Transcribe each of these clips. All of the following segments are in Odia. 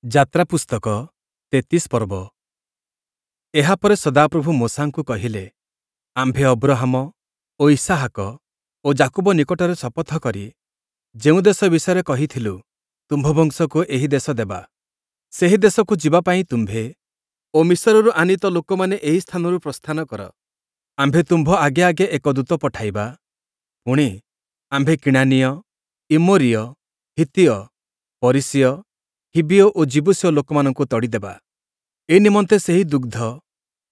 ଯାତ୍ରା ପୁସ୍ତକ 33 ପର୍ବ। ଏହା ପରେ ସଦାପ୍ରଭୁ ମୋଶାଙ୍କୁ କହିଲେ, ଆମ୍ଭେ ଅବ୍ରହାମ ଓ ଇସ୍ହାକ ଓ ଯାକୁବ ନିକଟରେ ଶପଥ କରି ଯେଉଁ ଦେଶ ବିଷୟରେ କହିଥିଲୁ, ତୁମ୍ଭ ବଂଶକୁ ଏହି ଦେଶ ଦେବା, ସେହି ଦେଶକୁ ଯିବା ପାଇଁ ତୁମ୍ଭେ ଓ ମିଶରରୁ ଆନୀତ ଲୋକମାନେ ଏହି ସ୍ଥାନରୁ ପ୍ରସ୍ଥାନ କର। ଆମ୍ଭେ ତୁମ୍ଭ ଆଗେ ଆଗେ ଏକ ଦୂତ ପଠାଇବା। ପୁଣି, ଆମ୍ଭେ କିଣାନୀୟ, ଇମୋରୀୟ, ହିତ୍ତୀୟ, ପରିସୀୟ, ହିବ୍ବୀୟ ଓ ଯିବୂସୀୟ ଲୋକମାନଙ୍କୁ ତଡ଼ିଦେବା। ଏ ନିମନ୍ତେ ସେହି ଦୁଗ୍ଧ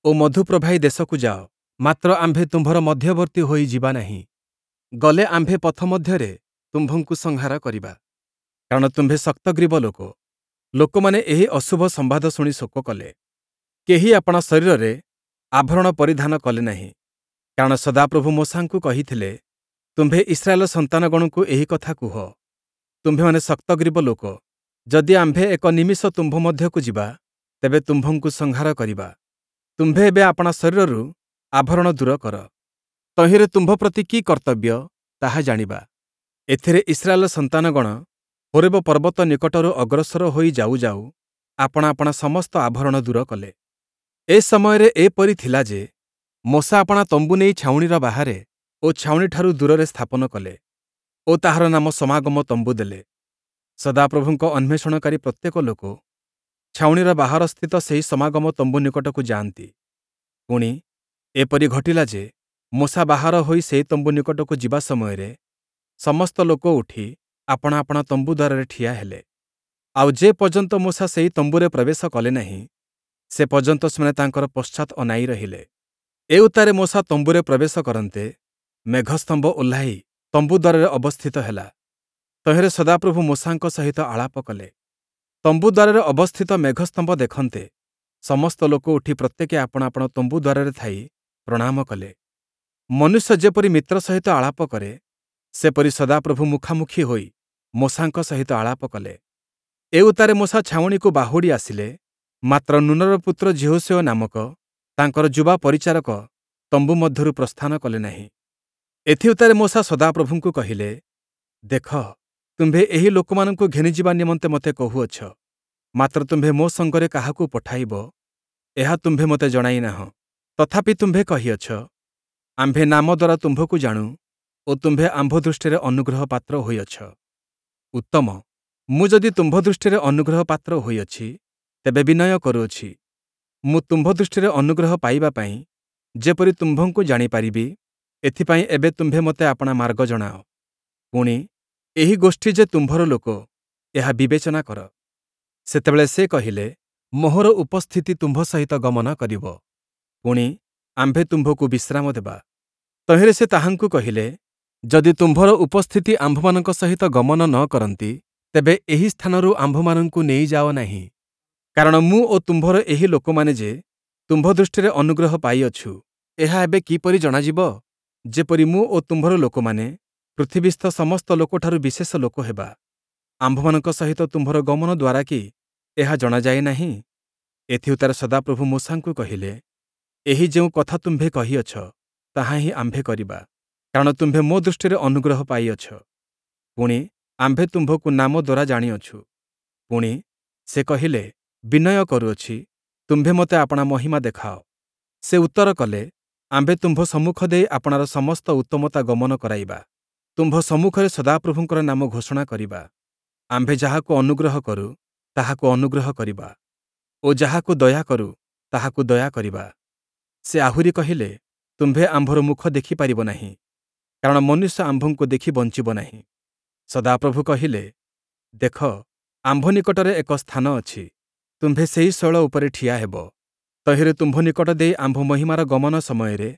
ଓ ମଧୁପ୍ରବାହୀ ଦେଶକୁ ଯାଅ। ମାତ୍ର ଆମ୍ଭେ ତୁମ୍ଭର ମଧ୍ୟବର୍ତ୍ତୀ ହୋଇ ଯିବା ନାହିଁ, ଗଲେ ଆମ୍ଭେ ପଥ ମଧ୍ୟରେ ତୁମ୍ଭଙ୍କୁ ସଂହାର କରିବା, କାରଣ ତୁମ୍ଭେ ଶକ୍ତଗ୍ରୀବ ଲୋକ। ଲୋକମାନେ ଏହି ଅଶୁଭ ସମ୍ବାଦ ଶୁଣି ଶୋକ କଲେ। କେହି ଆପଣା ଶରୀରରେ ଆଭରଣ ପରିଧାନ କଲେ ନାହିଁ। କାରଣ ସଦାପ୍ରଭୁ ମୋଶାଙ୍କୁ କହିଥିଲେ, ତୁମ୍ଭେ ଇସ୍ରାଏଲ ସନ୍ତାନଗଣଙ୍କୁ ଏହି କଥା କୁହ, ତୁମ୍ଭେମାନେ ଶକ୍ତଗ୍ରୀବ ଲୋକ। ଯଦି ଆମ୍ଭେ ଏକ ନିମିଷ ତୁମ୍ଭ ମଧ୍ୟକୁ ଯିବା, ତେବେ ତୁମ୍ଭଙ୍କୁ ସଂହାର କରିବା। ତୁମ୍ଭେ ଏବେ ଆପଣା ଶରୀରରୁ ଆଭରଣ ଦୂର କର। ତହିଁରେ ତୁମ୍ଭ ପ୍ରତି କି କର୍ତ୍ତବ୍ୟ, ତାହା ଜାଣିବା। ଏଥିରେ ଇସ୍ରାଏଲ ସନ୍ତାନଗଣ ହୋରେବ ପର୍ବତ ନିକଟରୁ ଅଗ୍ରସର ହୋଇ ଯାଉ ଯାଉ ଆପଣା ଆପଣା ସମସ୍ତ ଆଭରଣ ଦୂର କଲେ। ଏ ସମୟରେ ଏପରି ଥିଲା ଯେ, ମୋଶା ଆପଣା ତମ୍ବୁ ନେଇ ଛାଉଣିର ବାହାରେ ଓ ଛାଉଣିଠାରୁ ଦୂରରେ ସ୍ଥାପନ କଲେ ଓ ତାହାର ନାମ ସମାଗମ ତମ୍ବୁ ଦେଲେ। ସଦାପ୍ରଭୁଙ୍କ ଅନ୍ୱେଷଣକାରୀ ପ୍ରତ୍ୟେକ ଲୋକ ଛାଉଣିର ବାହାରସ୍ଥିତ ସେହି ସମାଗମ ତମ୍ବୁ ନିକଟକୁ ଯାଆନ୍ତି। ପୁଣି, ଏପରି ଘଟିଲା ଯେ, ମୋଶା ବାହାର ହୋଇ ସେହି ତମ୍ବୁ ନିକଟକୁ ଯିବା ସମୟରେ ସମସ୍ତ ଲୋକ ଉଠି ଆପଣା ଆପଣା ତମ୍ବୁ ଦ୍ୱାରରେ ଠିଆ ହେଲେ। ଆଉ ଯେ ପର୍ଯ୍ୟନ୍ତ ମୋଶା ସେହି ତମ୍ବୁରେ ପ୍ରବେଶ କଲେ ନାହିଁ, ସେ ପର୍ଯ୍ୟନ୍ତ ସେମାନେ ତାଙ୍କର ପଶ୍ଚାତ୍ ଅନାଇ ରହିଲେ। ଏ ଉତ୍ତାରେ ମୋଶା ତମ୍ବୁରେ ପ୍ରବେଶ କରନ୍ତେ, ମେଘସ୍ତମ୍ଭ ଓହ୍ଲାଇ ତମ୍ବୁ ଦ୍ୱାରରେ ଅବସ୍ଥିତ ହେଲା। ତହିଁରେ ସଦାପ୍ରଭୁ ମୋଶାଙ୍କ ସହିତ ଆଳାପ କଲେ। ତମ୍ବୁ ଦ୍ୱାରରେ ଅବସ୍ଥିତ ମେଘସ୍ତମ୍ଭ ଦେଖନ୍ତେ, ସମସ୍ତ ଲୋକ ଉଠି ପ୍ରତ୍ୟେକେ ଆପଣା ଆପଣା ତମ୍ବୁ ଦ୍ୱାରରେ ଥାଇ ପ୍ରଣାମ କଲେ। ମନୁଷ୍ୟ ଯେପରି ମିତ୍ର ସହିତ ଆଳାପ କରେ, ସେପରି ସଦାପ୍ରଭୁ ମୁଖାମୁଖି ହୋଇ ମୋଶାଙ୍କ ସହିତ ଆଳାପ କଲେ। ଏ ଉତ୍ତାରେ ମୋଶା ଛାଉଣିକୁ ବାହୁଡ଼ି ଆସିଲେ, ମାତ୍ର ନୂନର ପୁତ୍ର ଯିହୋଶୂୟ ନାମକ ତାଙ୍କର ଯୁବା ପରିଚାରକ ତମ୍ବୁ ମଧ୍ୟରୁ ପ୍ରସ୍ଥାନ କଲେ ନାହିଁ। ଏଥିଉତ୍ତାରେ ମୋଶା ସଦାପ୍ରଭୁଙ୍କୁ କହିଲେ, ଦେଖ, ତୁମ୍ଭେ ଏହି ଲୋକମାନଙ୍କୁ ଘେନିଯିବା ନିମନ୍ତେ ମୋତେ କହୁଅଛ, ମାତ୍ର ତୁମ୍ଭେ ମୋ ସଙ୍ଗରେ କାହାକୁ ପଠାଇବ, ଏହା ତୁମ୍ଭେ ମୋତେ ଜଣାଇ ନାହଁ। ତଥାପି ତୁମ୍ଭେ କହିଅଛ, ଆମ୍ଭେ ନାମ ଦ୍ୱାରା ତୁମ୍ଭକୁ ଜାଣୁ ଓ ତୁମ୍ଭେ ଆମ୍ଭ ଦୃଷ୍ଟିରେ ଅନୁଗ୍ରହ ପାତ୍ର ହୋଇଅଛ। ଉତ୍ତମ, ମୁଁ ଯଦି ତୁମ୍ଭ ଦୃଷ୍ଟିରେ ଅନୁଗ୍ରହ ପାତ୍ର ହୋଇଅଛି, ତେବେ ବିନୟ କରୁଅଛି, ମୁଁ ତୁମ୍ଭ ଦୃଷ୍ଟିରେ ଅନୁଗ୍ରହ ପାଇବା ପାଇଁ ଯେପରି ତୁମ୍ଭଙ୍କୁ ଜାଣିପାରିବି, ଏଥିପାଇଁ ଏବେ ତୁମ୍ଭେ ମୋତେ ଆପଣା ମାର୍ଗ ଜଣାଅ। ପୁଣି, ଏହି ଗୋଷ୍ଠୀ ଯେ ତୁମ୍ଭର ଲୋକ, ଏହା ବିବେଚନା କର। ସେତେବେଳେ ସେ କହିଲେ, ମୋହର ଉପସ୍ଥିତି ତୁମ୍ଭ ସହିତ ଗମନ କରିବ, ପୁଣି, ଆମ୍ଭେ ତୁମ୍ଭକୁ ବିଶ୍ରାମ ଦେବା। ତହିଁରେ ସେ ତାହାଙ୍କୁ କହିଲେ, ଯଦି ତୁମ୍ଭର ଉପସ୍ଥିତି ଆମ୍ଭମାନଙ୍କ ସହିତ ଗମନ ନ କରନ୍ତି, ତେବେ ଏହି ସ୍ଥାନରୁ ଆମ୍ଭମାନଙ୍କୁ ନେଇଯାଅ ନାହିଁ। କାରଣ ମୁଁ ଓ ତୁମ୍ଭର ଏହି ଲୋକମାନେ ଯେ ତୁମ୍ଭ ଦୃଷ୍ଟିରେ ଅନୁଗ୍ରହ ପାଇଅଛୁ, ଏହା ଏବେ କିପରି ଜଣାଯିବ, ଯେପରି ମୁଁ ଓ ତୁମ୍ଭର ଲୋକମାନେ ପୃଥିବୀସ୍ଥ ସମସ୍ତ ଲୋକଠାରୁ ବିଶେଷ ଲୋକ ହେବା? ଆମ୍ଭମାନଙ୍କ ସହିତ ତୁମ୍ଭର ଗମନ ଦ୍ୱାରା କି ଏହା ଜଣାଯାଏ ନାହିଁ? ଏଥିଉତ୍ତାରେ ସଦାପ୍ରଭୁ ମୋଶାଙ୍କୁ କହିଲେ, ଏହି ଯେଉଁ କଥା ତୁମ୍ଭେ କହିଅଛ, ତାହା ହିଁ ଆମ୍ଭେ କରିବା, କାରଣ ତୁମ୍ଭେ ମୋ ଦୃଷ୍ଟିରେ ଅନୁଗ୍ରହ ପାଇଅଛ, ପୁଣି, ଆମ୍ଭେ ତୁମ୍ଭକୁ ନାମ ଦ୍ୱାରା ଜାଣିଅଛୁ। ପୁଣି, ସେ କହିଲେ, ବିନୟ କରୁଅଛି, ତୁମ୍ଭେ ମୋତେ ଆପଣା ମହିମା ଦେଖାଅ। ସେ ଉତ୍ତର କଲେ, ଆମ୍ଭେ ତୁମ୍ଭ ସମ୍ମୁଖ ଦେଇ ଆପଣାର ସମସ୍ତ ଉତ୍ତମତା ଗମନ କରାଇବା। ତୁମ୍ଭ ସମ୍ମୁଖରେ ସଦାପ୍ରଭୁଙ୍କର ନାମ ଘୋଷଣା କରିବା। ଆମ୍ଭେ ଯାହାକୁ ଅନୁଗ୍ରହ କରୁ, ତାହାକୁ ଅନୁଗ୍ରହ କରିବା ଓ ଯାହାକୁ ଦୟା କରୁ, ତାହାକୁ ଦୟା କରିବା। ସେ ଆହୁରି କହିଲେ, ତୁମ୍ଭେ ଆମ୍ଭର ମୁଖ ଦେଖିପାରିବ ନାହିଁ, କାରଣ ମନୁଷ୍ୟ ଆମ୍ଭଙ୍କୁ ଦେଖି ବଞ୍ଚିବ ନାହିଁ। ସଦାପ୍ରଭୁ କହିଲେ, ଦେଖ, ଆମ୍ଭ ନିକଟରେ ଏକ ସ୍ଥାନ ଅଛି, ତୁମ୍ଭେ ସେହି ଶୈଳ ଉପରେ ଠିଆ ହେବ। ତହିଁରେ ତୁମ୍ଭ ନିକଟ ଦେଇ ଆମ୍ଭ ମହିମାର ଗମନ ସମୟରେ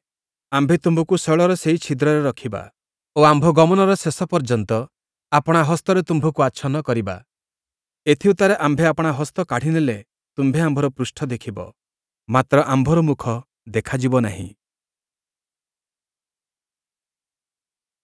ଆମ୍ଭେ ତୁମ୍ଭକୁ ଶୈଳର ସେହି ଛିଦ୍ରରେ ରଖିବା ଓ ଆମ୍ଭ ଗମନର ଶେଷ ପର୍ଯ୍ୟନ୍ତ ଆପଣା ହସ୍ତରେ ତୁମ୍ଭକୁ ଆଚ୍ଛନ୍ନ କରିବା। ଏଥିଉତ୍ତାରେ ଆମ୍ଭେ ଆପଣା ହସ୍ତ କାଢ଼ିନେଲେ ତୁମ୍ଭେ ଆମ୍ଭର ପୃଷ୍ଠ ଦେଖିବ, ମାତ୍ର ଆମ୍ଭର ମୁଖ ଦେଖାଯିବ ନାହିଁ।